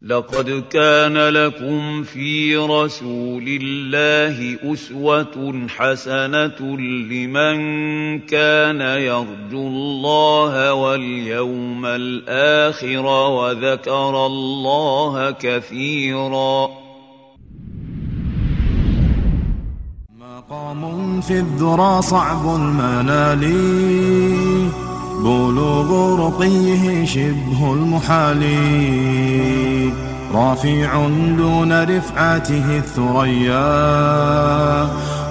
لقد كان لكم في رسول الله أسوة حسنة لمن كان يرجو الله واليوم الآخر وذكر الله كثيرا. مقام في الذرى صعب المنال، بلوغ رقيه شبه المحال، رافع دون رفعته الثريا،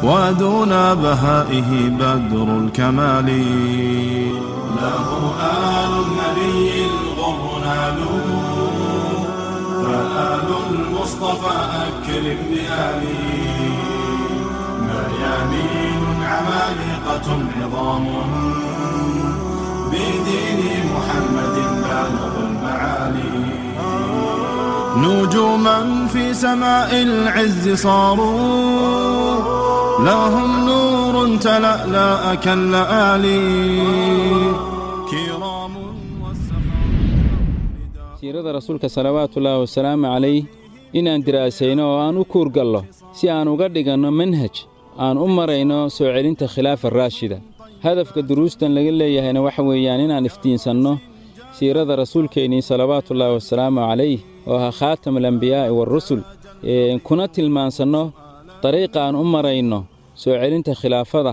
ودون بهائه بدر الكمال. له آل النبي الغر نالوا، فآل المصطفى أكرم بآله. ميامين عمالقة عظام، بدين محمد بالغ المعالي. نجوما في سماء العز صاروا، لهم نور تلألأ كاللآلي. كرام والسخاء. Siirada Rasuulka salawaatullaahi wasalaamu calayh inaan diraasayno oo aan u kuurgallo si aan uga dhiganno manhaj aan u marayno soo celinta khilaafa raashida. Hadafka duruustan laga leeyahayna waxa weeyaan inaan iftiinsanno siirada Rasuulkeennii salawaatullaahi wasalaamu calayh oo ahaa khaatam alambiyaa'i waarusul, kuna tilmaansanno dariiqa aan u marayno soo celinta khilaafada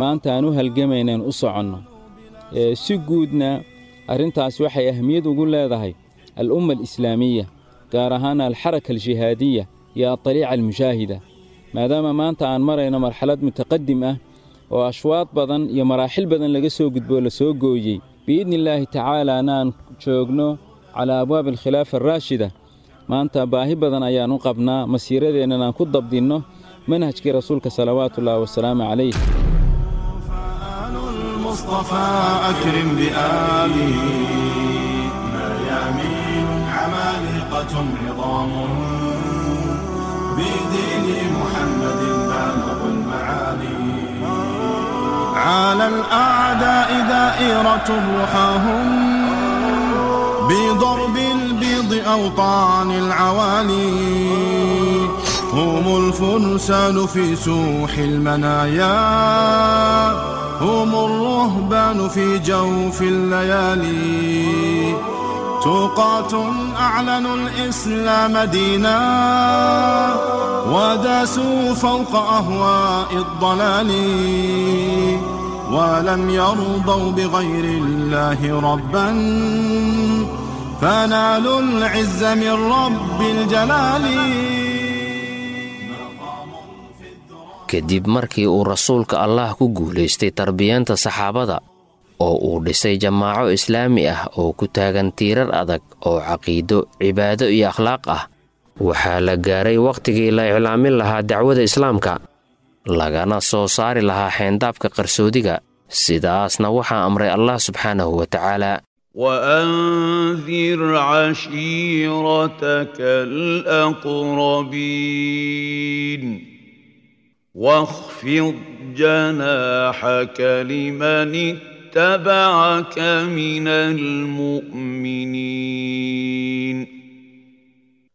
maanta aan u halgamaynaen u soconno. Si guudna arrintaas waxay ahmiyad ugu leedahay al'umma alislaamiya, gaar ahaan alxaraka aljihaadiya iyo adariica almushaahida, maadaama maanta aan marayno marxalad mutaqadim ah oo ashwaad badan iyo maraaxil badan laga soo gudboo la soo gooyey, biidni illaahi tacaalaana aan joogno calaa abwaabi alkhilaafa araashida. Maanta baahi badan ayaan u qabnaa masiiradeennan aan ku dabdinno manhajkii Rasuulka salawaatullaahi wasalaamu calayh. فآل المصطفى أكرم بآله، ميامين عمالقة عظام، بدين محمد بالغ المعالي. على الأعداء دائرة رحاهم، بضرب البيض أوطان العوالي. هم الفرسان في سوح المنايا، هم الرهبان في جوف الليالي. تقاة أعلنوا الإسلام دينا، وداسوا فوق أهواء الضلال. ولم يرضوا بغير الله ربا، فنالوا العز من رب الجلال. Kadib markii uu Rasuulka Allah ku guulaystay tarbiyeenta saxaabada oo uu dhisay jamaaco islaami ah oo ku taagan tiirar adag oo caqiido, cibaado iyo akhlaaq ah, waxaa la gaaray wakhtigii la iclaamin lahaa dacwada islaamka, lagana soo saari lahaa xeendaabka qarsoodiga. Sidaasna waxaa amray Allah subxaanahu wa tacaala. وأنذر عشيرتك الأقربين، واخفض جناحك لمن اتبعك من المؤمنين،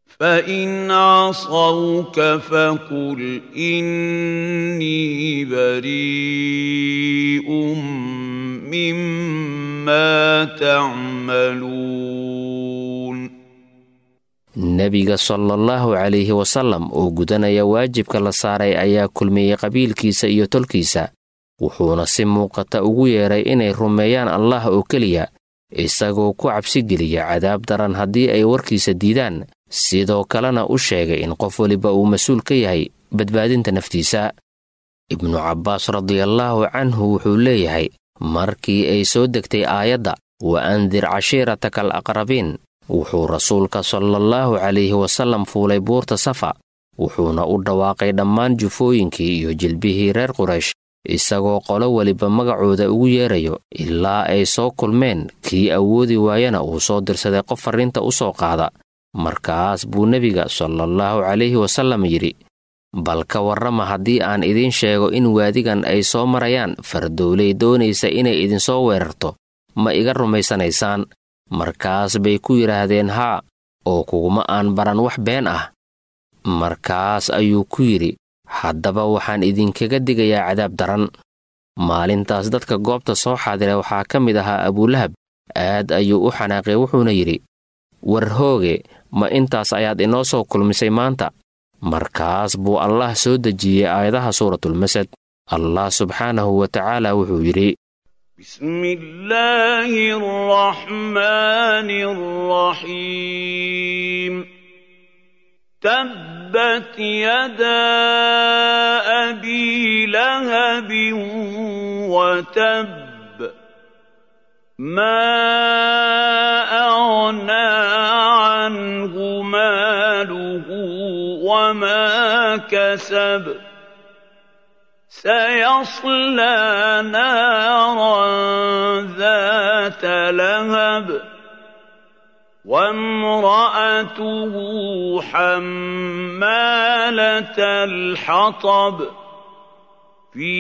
فإن عصوك فقل إني بريء مما تعملون. Nebiga salaallahu calayhi wasallam oo gudanaya waajibka la saaray ayaa kulmiyey qabiilkiisa iyo tolkiisa, wuxuuna si muuqata ugu yeedhay inay rumeeyaan Allah oo keliya, isagoo ku cabsigeliya cadaab daran haddii ay warkiisa diidaan, sidoo kalena u sheegay in qof weliba uu mas-uul ka yahay badbaadinta naftiisa. Ibnu Cabbaas radiallaahu canhu wuxuu leeyahay, markii ay soo degtay aayadda wa andir cashiirataka al aqrabiin, wuxuu Rasuulka salaallahu calayhi wasallam fuulay buurta Safa, wuxuuna u dhawaaqay dhammaan jufooyinkii iyo jilbihii reer Quraysh, isagoo qolo weliba magacooda ugu yeerayo ilaa ay soo kulmeen. Kii awoodi waayana uu soo dirsaday qof farriinta u soo qaada. Markaas buu nebiga salaallahu calayhi wasallam yidhi: Bal ka warrama haddii aan idiin sheego in waadigan ay soo marayaan fardowley doonaysa inay idinsoo weerarto, ma iga rumaysanaysaan? Markaas bay ku yidhaahdeen: Haa. Oo kuguma aan baran wax been ah. Markaas ayuu ku yidhi, haddaba waxaan idinkaga digayaa cadaab daran. Maalintaas dadka goobta soo xaadira waxaa ka mid ahaa Abuulahab. Aad ayuu u xanaaqay, wuxuuna yidhi, war hooge, ma intaas ayaad inoo soo kulmisay maanta? Markaas buu Allah soo dejiyey aayadaha suuratulmasad. Allah subxaanahu wa tacaala wuxuu yidhi: بسم الله الرحمن الرحيم. تبت يدا أبي لهب وتب، ما أغنى عنه ماله وما كسب، سيصلى نارا ذات لهب، وامرأته حمالة الحطب، في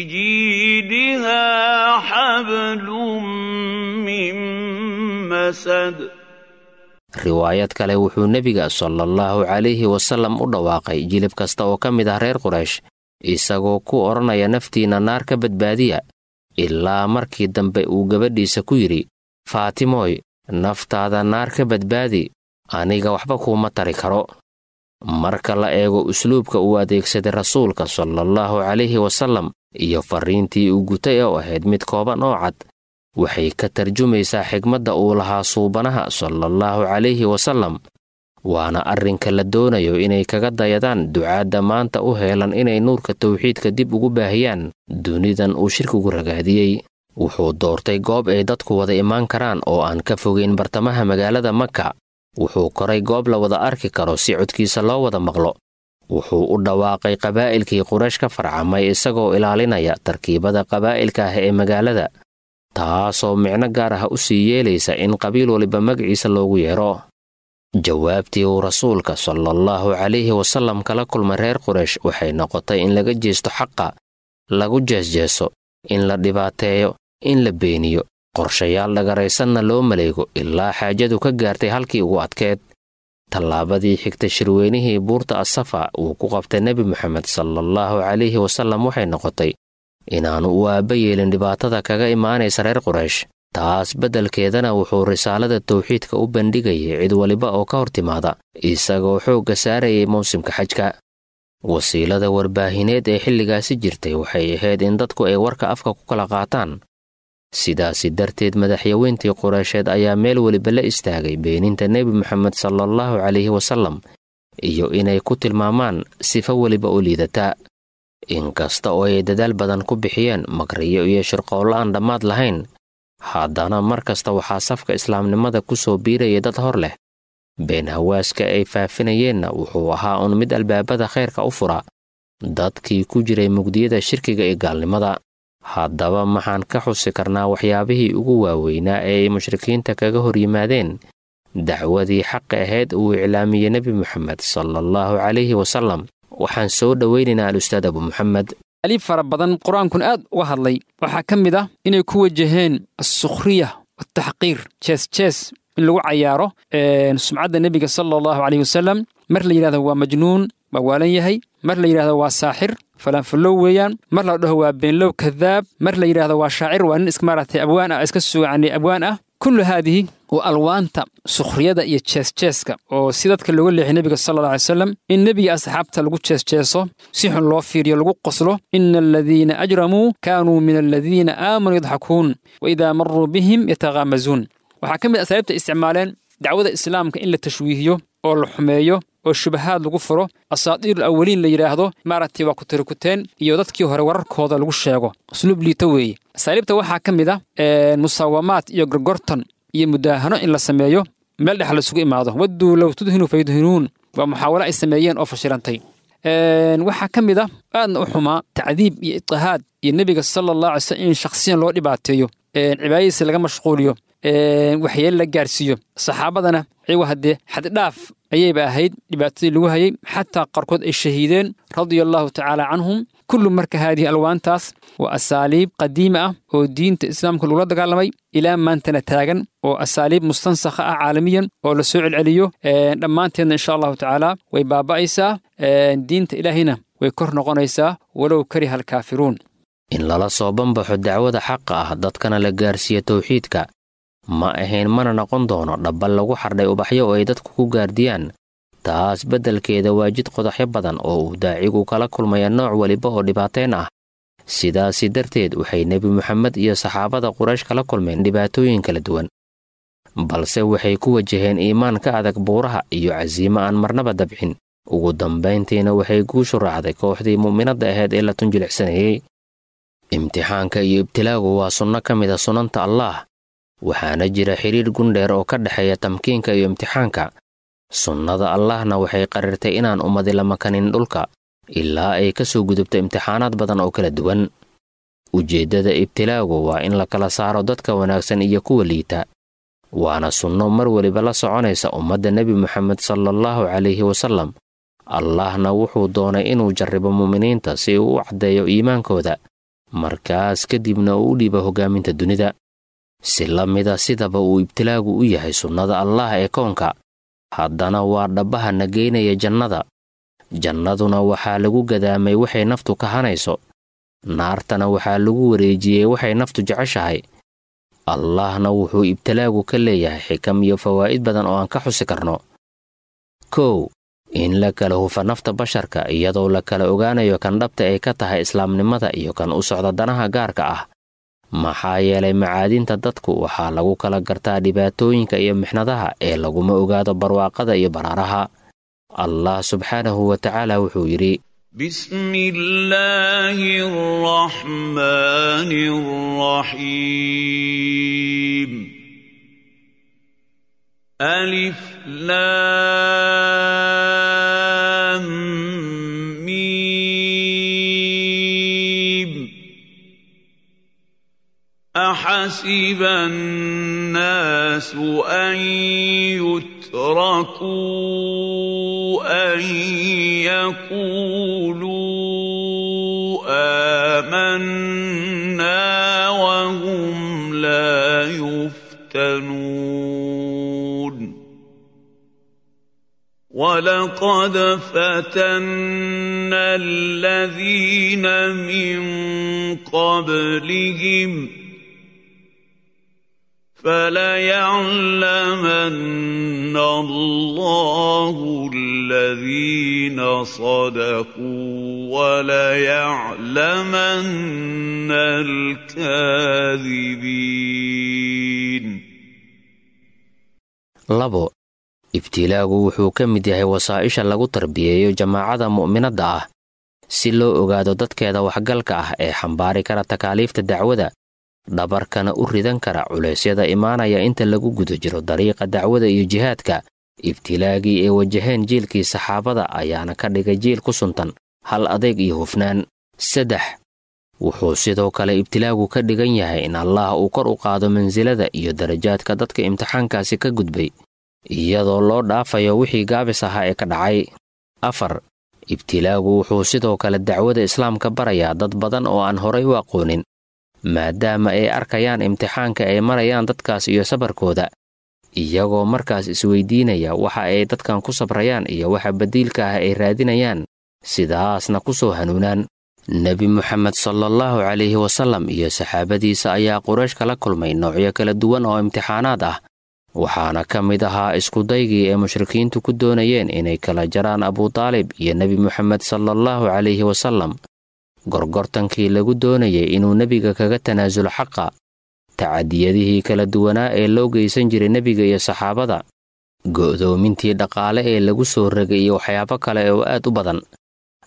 جيدها حبل من مسد. Riwaayad kale, wuxuu nebiga sallallahu calayhi wasallam u dhawaaqay jilib kasta oo ka mid ah reer Quraysh, isagoo ku odhanaya, naftiinna naar ka badbaadiya, ilaa markii dambe uu gabadhiisa ku yidhi, Faatimooy, naftaada naar ka badbaadi, aniga waxba kuuma tari karo. Marka la eego usluubka uu adeegsaday rasuulka sallallahu calayhi wasallam iyo farriintii uu gutay oo ahayd mid kooban oo cad, waxay ka tarjumaysaa xigmadda uu lahaa suubanaha sallallahu calayhi wasallam. Waana arrinka la doonayo inay kaga dayadaan ducaadda maanta u heelan inay nuurka tawxiidka dib ugu baahiyaan dunidan uu shirkigu ragaadiyey. Wuxuu doortay goob ay dadku wada imaan karaan oo aan ka fogeyn bartamaha magaalada Maka. Wuxuu koray goob la wada arki karo si codkiisa loo wada maqlo. Wuxuu u dhawaaqay qabaa'ilkii Quraysh ka farcamay, isagoo ilaalinaya tarkiibada qabaa'ilka ah ee magaalada, taasoo micno gaar ah u sii yeelaysa in qabiil waliba magaciisa loogu yeero. Jawaabtii uu rasuulka sallallahu calayhi wasallam kala kulmay reer Quraysh waxay noqotay in laga jeesto xaqa, lagu jeesjeeso, in la dhibaateeyo, in la beeniyo, qorshayaal dhagaraysanna loo maleego, ilaa xaajadu ka gaartay halkii ugu adkeed. Tallaabadii xigta, shirweynihii buurta Asafa uu ku qabtay Nebi Moxamed sallallahu calayhi wasallam, waxay noqotay inaannu u aabba yeelin dhibaatada kaga imaanaysa reer Quraysh. Taas beddelkeedana wuxuu risaalada tawxiidka u bandhigayay cid waliba oo ka hor timaada, isagoo xoogga saarayay mawsimka xajka. Wasiilada warbaahineed ee xilligaasi jirtay waxay ahayd in dadku ay warka afka ku kala qaataan. Sidaasi darteed madaxyaweyntii Qureysheed ayaa meel weliba la istaagay beeninta Nebi Moxamed sallallahu calayhi wasallam iyo inay ku tilmaamaan sifo weliba oo liidata. Inkasta oo ay dadaal badan ku bixiyeen makriyo iyo shirqoollo aan dhammaad lahayn, haddana mar kasta waxaa safka islaamnimada ku soo biiraya dad hor leh. Been hawaaska ay faafinayeenna wuxuu ahaa un mid albaabada khayrka u fura dadkii ku jiray mugdiyada shirkiga iyo gaalnimada. Haddaba maxaan ka xusi karnaa waxyaabihii ugu waaweynaa ee ay mushrikiinta kaga hor yimaadeen dacwadii xaqa ahayd uu iclaamiyey Nebi Moxamed sallallahu calayhi wasallam? Waxaan soo dhowaynaynaa al-ustaad Abu Moxamed. Aliib fara badan qur-aankun aad uga hadlay waxaa ka mid ah inay ku wajaheen assukhriya wataxqiir, jees jees in lagu cayaaro sumcadda nebiga sala allahu calayhi wasalam. Mar la yidhahdo waa majnuun, waa waalan yahay, mar la yidhahdo waa saaxir, falaanfallow weeyaan, mar la dhaho waa beenlow, kadaab, mar la yidhahdo waa shaacir, waa nin iska maaragtay abwaan ah, iska sugacnay abwaan ah. Kullu haadihi waa alwaanta sukhriyada iyo jeesjeeska oo si dadka looga leexiy nebiga sala alla alay wasalam, in nebiga asxaabta lagu jeesjeeso, si xun loo fiiriyo, lagu qoslo. Ina aladiina ajramuu kaanuu min aladiina aamanuu yadxakuun wa idaa maruu bihim yataghaamazuun. Waxaa ka mid asaaliibta isticmaaleen dacwada islaamka in la tashwiihiyo oo la xumeeyo oo shubahaad lagu furo, asaatiirul awaliin la yidhaahdo, maaragtay waa kutirikuteen iyo dadkii hore wararkooda lagu sheego, usluub liito weeye. Asaaliibta waxaa ka mid ah musaawamaad iyo gorgortan iyo mudaahano in la sameeyo, meel dhex laisugu imaado. Wadduu low tudhinu fayudhinuun waa muxaawalo ay sameeyeen oo fashilantay. Waxaa ka mid ah aadna u xumaa tacdiib iyo itihaad iyo nebiga sala allah alay slam in shakhsiyan loo dhibaateeyo, cibaadadiisa laga mashquuliyo, waxyeelo la gaarsiiyo saxaabadana, iyagu haddee xaddhaaf Ayayba ahayd dhibaatadii lagu hayay, xataa qaarkood ay shahiideen, radia Allahu tacaala canhum. Kullu marka haadihi alwaantaas waa asaaliib qadiima ah oo diinta islaamka lagula dagaalamay, ilaa maantana taagan, oo asaaliib mustansakha ah caalamiyan oo la soo celceliyo. Dhammaanteedna insha Allahu tacaala way baaba'aysaa, diinta Ilaahayna way kor noqonaysaa, walow kariha alkaafiruun. In lala soo banbaxo dacwada xaqa ah, dadkana la gaarsiiyo tawxiidka, ma ahayn mana noqon doono dhabbal lagu xardhay ubaxyo oo ay dadku ku gaardiyaan. Taas beddelkeeda waa jid qodaxyo badan oo uu daacigu kala kulmaya nooc weliba oo dhibaateen ah. Sidaasi darteed waxay Nebi Moxamed iyo saxaabada Quraysh kala kulmeen dhibaatooyin kala duwan, balse waxay ku wajaheen iimaan ka adag buuraha iyo casiimo aan marnaba dabcin. Ugu dambayntiina waxay guushu raacday kooxdii mu'minadda ahayd ee la tunjilicsanayey. Imtixaanka iyo ibtilaagu waa sunno ka mid a sunanta Allaah, waxaana jira xidhiir gundheer oo ka dhexeeya tamkiinka iyo imtixaanka. Sunnada Allahna waxay qarirtay inaan ummadi la makanin dhulka ilaa ay ka soo gudubto imtixaanaad badan oo kala duwan. Ujeeddada ibtilaagu waa in la kala saaro dadka wanaagsan iyo kuwa liita, waana sunno mar weliba la soconaysa ummadda Nebi Moxamed salaallahu calayhi wasallam. Allahna wuxuu doonay inuu jarribo mu'miniinta si uu u caddeeyo iimaankooda, markaas kadibna uu u dhiibo hoggaaminta dunida. Si la mida sidaba uu ibtilaagu u yahay sunnada Allaah ee koonka, haddana waa dhabbaha na geynaya jannada. Jannaduna waxaa lagu gadaamay waxay naftu ka hanayso, naartana waxaa lagu wareejiyey waxay naftu jeceshahay. Allahna wuxuu ibtilaagu ka leeyahay xikam iyo fawaa'id badan oo aan ka xusi karno. 1, in la kala hufa nafta basharka, iyadoo la kala ogaanayo kan dhabta ay ka tahay islaamnimada iyo kan u socda danaha gaarka ah, maxaa yeelay macaadinta dadku waxaa lagu kala gartaa dhibaatooyinka iyo mixnadaha ee laguma ogaado barwaaqada iyo baraaraha. Allah subxaanahu wa tacaala wuxuu yidhi: بسم الله الرحمن الرحيم، ألف لام ميم، أحسب الناس أن يتركوا أن يقولوا آمنا وهم لا يفتنون. ولقد فتنا الذين من قبلهم فليعلمن الله الذين صدقوا وليعلمن الكاذبين. 2, ibtilaagu wuxuu ka mid yahay wasaa'isha lagu tarbiyeeyo jamaacada mu'minadda ah, si loo ogaado dadkeeda waxgalka ah ee xambaari kara takaaliifta dacwada, dhabarkana u ridan kara culeysyada imaanaya inta lagu guda jiro dariiqa dacwada iyo jihaadka. Ibtilaagii ay wajaheen jiilkii saxaabada ayaana ka dhigay jiil ku suntan hal adeeg iyo hufnaan. 3, wuxuu sidoo kale ibtilaagu ka dhigan yahay in Allaah uu kor u qaado mansilada iyo darajaadka dadka imtixaankaasi ka gudbay, iyadoo loo dhaafayo wixii gaabis ahaa ee ka dhacay. 4, ibtilaagu wuxuu sidoo kale dacwada islaamka barayaa dad badan oo aan horay u aqoonin, maadaama ay arkayaan imtixaanka ay marayaan dadkaas iyo sabarkooda, iyagoo markaas isweydiinaya waxa ay dadkan ku sabrayaan iyo waxa badiilka ah ay raadinayaan, sidaasna ku soo hanuunaan. Nebi Moxamed salaallahu calayhi wasallam iyo saxaabadiisa ayaa Quraysh kala kulmay noocyo kala duwan oo imtixaanaad ah, waxaana ka mid ahaa iskudaygii ay mushrikiintu ku doonayeen inay kala jaraan Abutaalib iyo Nebi Moxamed salaallahu calayhi wasallam, gorgortankii lagu doonayay inuu nebiga kaga tanaasulo xaqa, tacadiyadihii kala duwanaa ee loo geysan jiray nebiga iyo saxaabada, go'doomintii dhaqaale ee lagu soo ragay iyo waxyaabo kale oo aad u badan.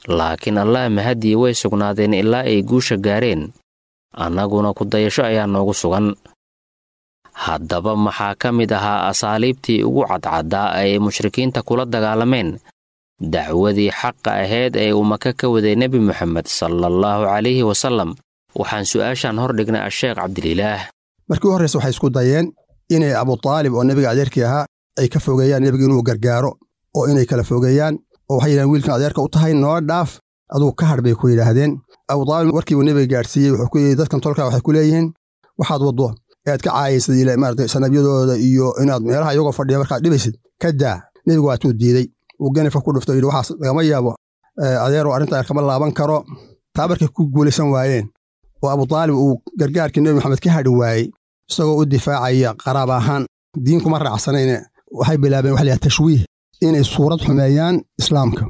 Laakiin Allah mahadii way sugnaadeen ilaa ay guusha gaareen, annaguna ku dayasho ayaa noogu sugan. Haddaba maxaa ka mid ahaa asaaliibtii ugu cadcaddaa ay mushrikiinta kula dagaalameen dacwadii xaqa ahayd ee uu Maka ka waday Nebi Moxamed salaallahu calayhi wasallam? Waxaan su'aashan hor dhignay Asheekh Cabdililaah. Markii u horraysa waxay isku dayeen inay Abutaalib oo nebiga adeerkii ahaa ay ka fogeeyaan nebiga inuu gargaaro oo inay kala fogeeyaan oo waxay yidhahdeen wiilkan adeerka u tahay noo dhaaf aduu ka hadh bay ku yidhaahdeen. Abu Taalib warkii uu nebiga gaadhsiiyey wuxuu ku yidhi dadkan tolkaa waxay ku leeyihiin waxaad waddo ead ka caayaysad maarata sanabyadooda iyo inaad meelaha iyagoo fadhiya markaad dhibaysid ka daa. Nebigu waatuu diidey, uu ganifka ku dhuftay, yidhi waxaas lagama yaabo adeeroo arrintaa kama laaban karo. Taa markay ku guulaysan waayeen oo Abu Taalib uu gargaarkii Nebi Maxamed ka hadhi waayey isagoo u difaacaya qaraab ahaan, diin kuma raacsanayne, waxay bilaabeen waxa la yidhaha tashwiih, inay suurad xumeeyaan islaamka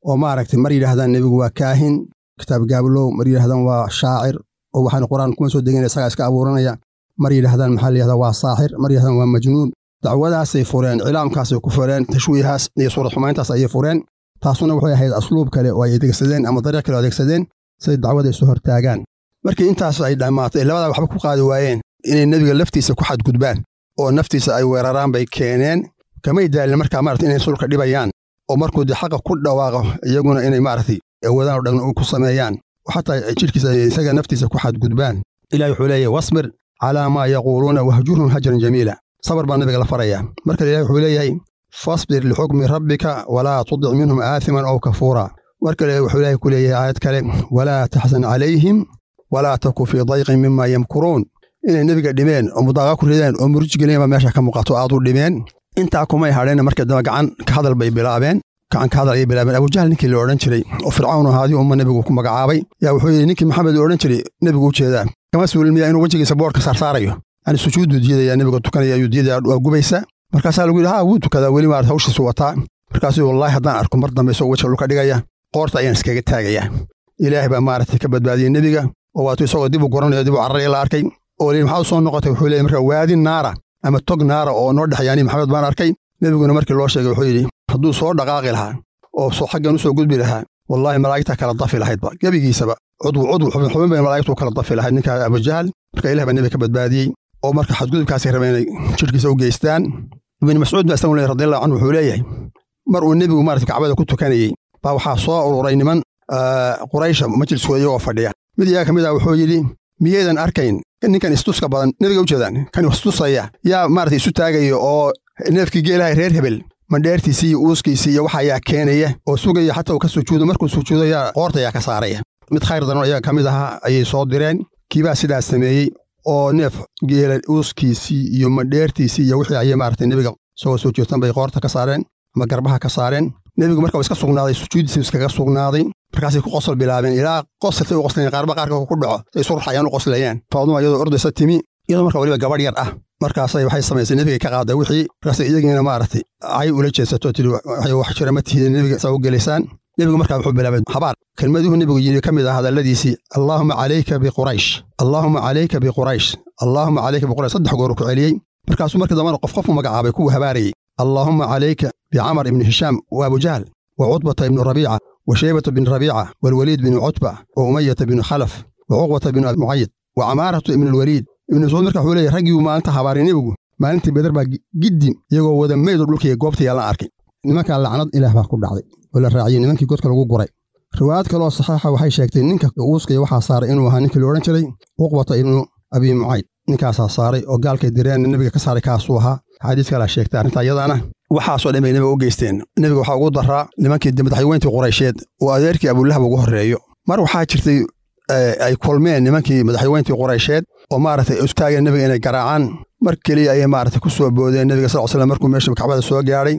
oo maaragtay mar yidhaahdaan nebigu waa kaahin kitaab gaablow, mar yidhahdaan waa shaacir oo waxaan qur-aan kuma soo degin isagaa iska abuuranaya, mar yidhahdaan maxaa la yidhahdaa waa saaxir, mar yidhahdaan waa majnuun. Dacwadaasay fureen, cilaamkaasay ku fureen, tashwiihaas iyo suurad xumayntaas ayay fureen. Taasuna waxay ahayd asluub kale oo ay adeegsadeen ama dariiq kale oo adeegsadeen siday dacwada isu hortaagaan. Markii intaas ay dhammaatay labadaa waxba ku qaadi waayeen inay nebiga laftiisa ku xadgudbaan oo naftiisa ay weeraraan bay keeneen. Kamay daalin markaa maarata inay sulka dhibayaan oo markuu dee xaqa ku dhawaaqo iyaguna inay maaragtay awoodaan oo dhan ku sameeyaan oo xataa jidhkiisa isaga naftiisa ku xadgudbaan. Ilahi wuxuu leeyahay wasbir calaa maa yaquuluuna wahjurhum hajran jamiila. Sabar baa nabiga la farayaa. Markale ilahi wuxuu leeyahay fasbir lixukmi rabbika walaa tudic minhum aathiman aw kafuura. Mar kale wuxuu ilaahay ku leeyahay aayad kale walaa taxsan calayhim walaa taku fii dayqin mima yamkuruun. Inay nebiga dhimeen oo mudaaqa ku rideen oo muruj geliyeen baa meesha ka muuqato aad u dhimeen. Intaa kumay hadheen markii dambe gacan ka hadal bay bilaabeen. Gacan ka hadal ayay bilaabeen. Abujahl ninkii la odhan jiray oo Fircawn ahaadii umma nebigu ku magacaabay yaa wuxuu yidhi ninkii Maxamed la odhan jiray nebigu u jeedaa kama suulin miyaa inuu wejigiisa boodhka saarsaarayo, yani sujuudu diidaya nebiga tukanaya ayuu diidaya waa gubaysa. Markaasaa lagu yidhi haa wuu tukadaa weli maarata hawshiisu wataa. Markaasuu wallaahi haddaan arko mar dambe isagoo wejiga dhulka dhigaya qoorta ayaan iskaga taagayaa. Ilaahay baa maaragtay ka badbaadiyey nebiga oo waatuu isagoo dib u goranayo dib u cararaya la arkay oo liin maxaa u soo noqotay wuxuu leeyahy marka waadi naara ama tog naara oo noo dhexyaani Maxamed baan arkay. Nebiguna markii loo sheegay wuxuu yidhi hadduu soo dhaqaaqi lahaa oo soo xaggan u soo gudbi lahaa wallaahi malaa'igta kala dafi lahaydba gebigiisaba cudwu cudwu xubin xubin bay malaa'igtu kala dafi lahayd ninka Abujahl. Marka ilaah baa nebiga ka badbaadiyey oo marka xadgudubkaasay rabeen inay jidhkiisa u geystaan. Ibn Mascuud baa isagu leeyahay radiyallahu anhu wuxuu leeyahay mar uu nebigu maaragtay kacbada ku tukanayey baa waxaa soo ururay niman Quraysha majliskooda iyagoo fadhiya. Mid iyaga ka mid ah wuxuu yidhi miyaydan arkayn ninkan istuska badan nebiga u jeedaan kan istusaya yaa maaragtay isu taagaya oo neefkii geelaha reer hebel mandheertiisii iyo uuskiisii iyo waxa ayaa keenaya oo sugaya xataa uu ka sujuudo markuu sujuudo yaa qoorta ayaa ka saaraya. Mid khayr daran iyaga ka mid ahaa ayay soo direen kiibaa sidaas sameeyey oo neef geela uuskiisii iyo mandheertiisii iyo wixii ayay maaragtay nebiga isagoo soo jeestan bay qoorta ka saareen ama garbaha ka saareen. Nebigu marka uu iska sugnaaday sujuudiisii iskaga sugnaaday. Markaasay ku qosol bilaabeen ilaa qosoltay u qoslayeen qaarba qaarka ku dhaco say isu ruxayaan u qoslayaan. Faaduma iyadoo ordaysa timi iyadoo marka weliba gabadh yar ah markaasay waxay samaysay nebiga ka qaaday wixii markaasay iyagiina maaragtay cay ula jeesato tiri waxay wax jira ma tihidin nebiga saa u gelaysaan. Nebigu markaa wuxuu bilaabay habaar. Kelmaduhu nebigu yidhi ka mid ah hadalladiisii allaahuma calayka biquraysh allaahuma calayka biquraysh allaahuma calayka biquraysh saddex goor ku celiyey. Markaasuu markii dambena qof qof u magacaabay kuwuu habaarayey allaahuma calayka bicamar ibni hishaam wa abujahl wa cutbata ibnu rabiica wa shaybata bin rabiica waalwaliid binu cutba wa umayata binu khalaf wa cuqbata binu mucayid wa camaaratu ibnu alwaliid. Ibnu Mascuud marka wuxuu leeyahay raggii maalinta habaaray nebigu maalintii Badar baa giddi iyagoo wada meydoo dhulka goobta yaalan arkay. Nimankaa lacnad ilaah baa ku dhacday oo la raaciyey nimankii godka lagu guray. Riwaayad kaloo saxiixa waxay sheegtay ninka uuskaya waxaa saaray inuu ahaa ninkii la odhan jiray Cuqbata ibnu Abi Mucayd. Ninkaasaa saaray oo gaalkay direen nebiga ka saaray kaasuu ahaa. Xadiis kalaa sheegtay arrintaa iyadaana. Waxaasoo dhan bay nebiga u geysteen. Nebiga waxaa ugu daraa nimankii madaxweyntii Quraysheed oo adeerkii Abulahab ugu horreeyo. Mar waxaa jirtay ay kulmeen nimankii madaxweyntii Quraysheed oo maaragtay isu taageen nebiga inay garaacaan. Mar keliya ayay maaragtay ku soo boodeen nebiga sal slam markuu meesha kacbada soo gaadhay.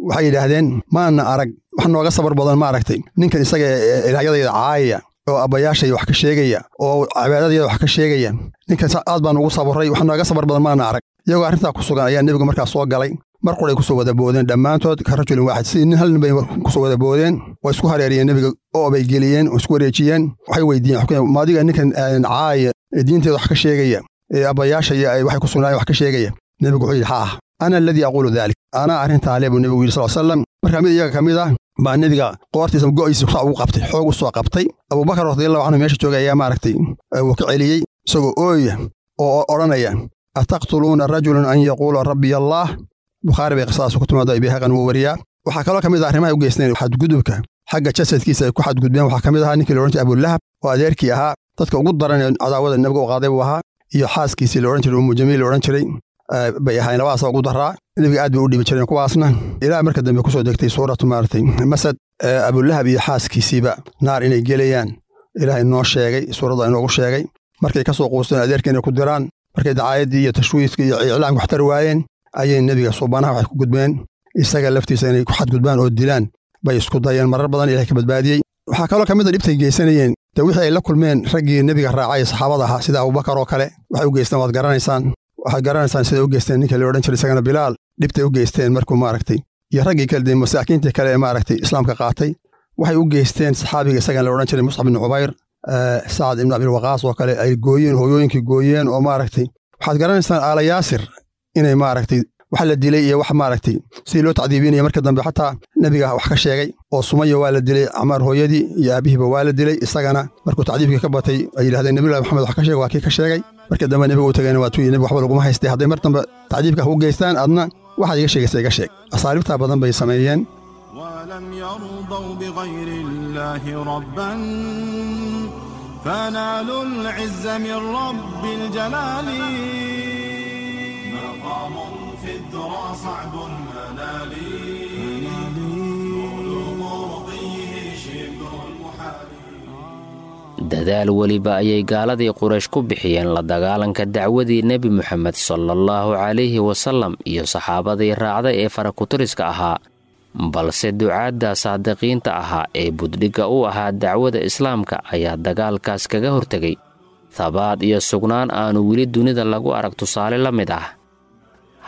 Waxay yidhaahdeen maana arag wax nooga sabar badan maaragtay ninkan isaga ilaahyadayda caayaya oo abbayaashay wax ka sheegaya oo cibaadadayda wax ka sheegaya ninkan aad baan ugu sabarray wax nooga sabar badan maana arag. Iyagoo arrintaa ku sugan ayaa nebigu markaa soo galay. Mar quray ku soo wada boodeen dhammaantood ka rajulin waaxid sidii nin hal nin bay ku soo wada boodeen way isku hareeriyeen nebiga oo bay geliyeen oo isku wareejiyeen. Waxay weydiiyeen maadiga ninkan caaya ee diinteeda wax ka sheegaya ee abbayaasha iyo waxay ku sugnaayeen wax ka sheegaya. Nebigu wuxuu yidhi haa ana alladii aquulu dalik anaa arrintaa le buu nebigu yidhi sal slam. Markaa mid iyaga ka mid ah baa nebiga qoortiisa go'iisa saa ugu qabtay xoog u soo qabtay. Abubakar radiyallahu canhu meesha joogay ayaa maaragtay wuu ka celiyey isagoo ooya oo odhanaya ataqtuluuna rajulan an yaquula rabbiy allaah. Bukhaari bay qisadaas ku timaado Bayhaqan wuu wariyaa. Waxaa kaloo ka mid ah arrimaha u geysteen xadgudubka xagga jasadkiisa ay ku xadgudbeen. Waxaa ka mid ahaa ninkii la odhan jiray Abulahab oo adeerkii ahaa dadka ugu daran ee cadaawada nebiga u qaaday buu ahaa iyo xaaskiisii la odhan jiray Ummu Jamiil la odhan jiray. Bay ahaayeen labadaasa ugu daraa. Nebiga aad bay u dhibi jireen kuwaasna, ilaa marka dambe kusoo degtay suuratu maaragtay Masad, Abulahab iyo xaaskiisiiba naar inay gelayaan Ilaah inoo sheegay, suuradda inoogu sheegay. Markay ka soo quusteen adeerka inay ku diraan, markay dacaayaddii iyo tashwiiskii iyo iclaamka waxtar waayeen, ayay nebiga suubanaha waxay ku gudbeen isaga laftiisa inay ku xadgudbaan oo dilaan bay isku dayeen. Marar badan Ilahay ka badbaadiyey. Waxaa kaloo ka mid a dhibtay geysanayeen dee wixii ay la kulmeen raggii nebiga raacay, saxaabada ahaa, sida Abubakar oo kale waxay u geysteen waad garanaysaan. Waxaad garanaysaan siday u geysteen ninka la odhan jiray isagana Bilaal, dhibtay u geysteen markuu maaragtay, iyo raggii kale dee masaakiintii kale ee maaragtay islaamka qaatay waxay u geysteen. Saxaabiga isagana la odhan jiray Muscab ibn Cubayr, Sacad ibn Abilwaqaas oo kale ay gooyeen, hooyooyinkii gooyeen oo maaragtay. Waxaad garanaysaan Aala Yaasir inay maaragtay wax la dilay iyo wax maaragtay sidii loo tacdiibinaya. Marka dambe xataa nebiga wax ka sheegay oo Sumaya waa la dilay, Camaar hooyadii iyo aabihiiba waa la dilay. Isagana markuu tacdiibkii ka batay ay yidhahdeen Nabiyullahi Maxamed wax ka sheeg, waa kii ka sheegay. Marka dambe nebiga u tagayna waa tuu nebiga waxba laguma haystay, hadday mar dambe tacdiibka ku geystaan adna waxaad iga sheegaysa iga sheeg. Asaaliibtaa badan bay sameeyeen. ولم يرضوا بغير الله ربا فنالوا العز من رب الجلال. مقام في الذرى صعب المنال، بلوغ رقيه شبه المحال. Dadaal weliba ayay gaaladii Quraysh ku bixiyeen la dagaalanka dacwadii Nebi Moxamed salaallahu calayhi wasallam iyo saxaabadii raacday ee farakutiriska ahaa, balse ducaadda saadiqiinta ahaa ee buddhigga u ahaa dacwada islaamka ayaa dagaalkaas kaga hortegay thabaad iyo sugnaan aanu weli dunida lagu arag tusaale la mid ah.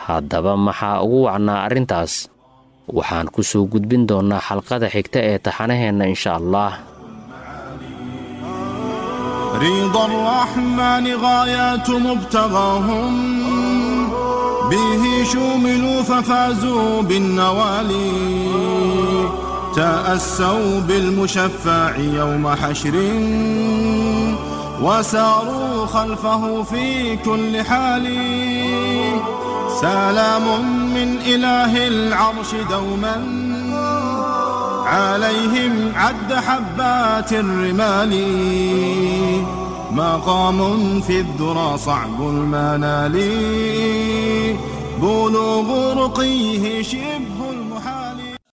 Haddaba maxaa ugu wacnaa arrintaas? Waxaan ku soo gudbin doonnaa xalqada xigta ee taxanaheenna insha Allah. رضا الرحمن غايات مبتغاهم، به شملوا ففازوا بالنوالي. تأسوا بالمشفع يوم حشر وساروا خلفه في كل حال. سلام من إله العرش دوما عليهم عد حبات الرمال. مقام في الذرى صعب المنال، بلوغ رقيه شبه